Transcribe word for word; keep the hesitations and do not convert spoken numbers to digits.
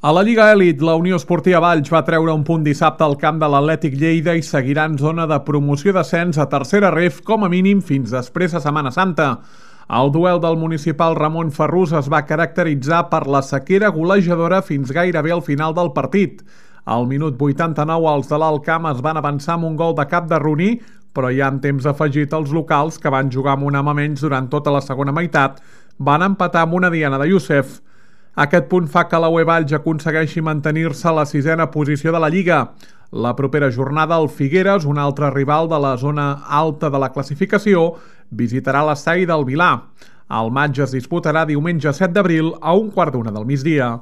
A la Lliga Elit, la Unió Esportiva Valls va treure un punt dissabte al camp de l'Atlètic Lleida i seguirà en zona de promoció d'ascens a tercera ref com a mínim fins després de Setmana Santa. El duel del municipal Ramon Ferrús es va caracteritzar per la sequera golejadora fins gairebé al final del partit. Al minut vuitanta-nou, els de l'Alt Camp es van avançar amb un gol de cap de Roní, però ja en temps afegit els locals, que van jugar amb un home menys durant tota la segona meitat, van empatar amb una diana de Youssef. Aquest punt fa que la U E Valls aconsegueixi mantenir-se a la sisena posició de la Lliga. La propera jornada, el Figueres, un altre rival de la zona alta de la classificació, visitarà l'estadi del Vilar. El matx es disputarà diumenge set d'abril a un quart d'una del migdia.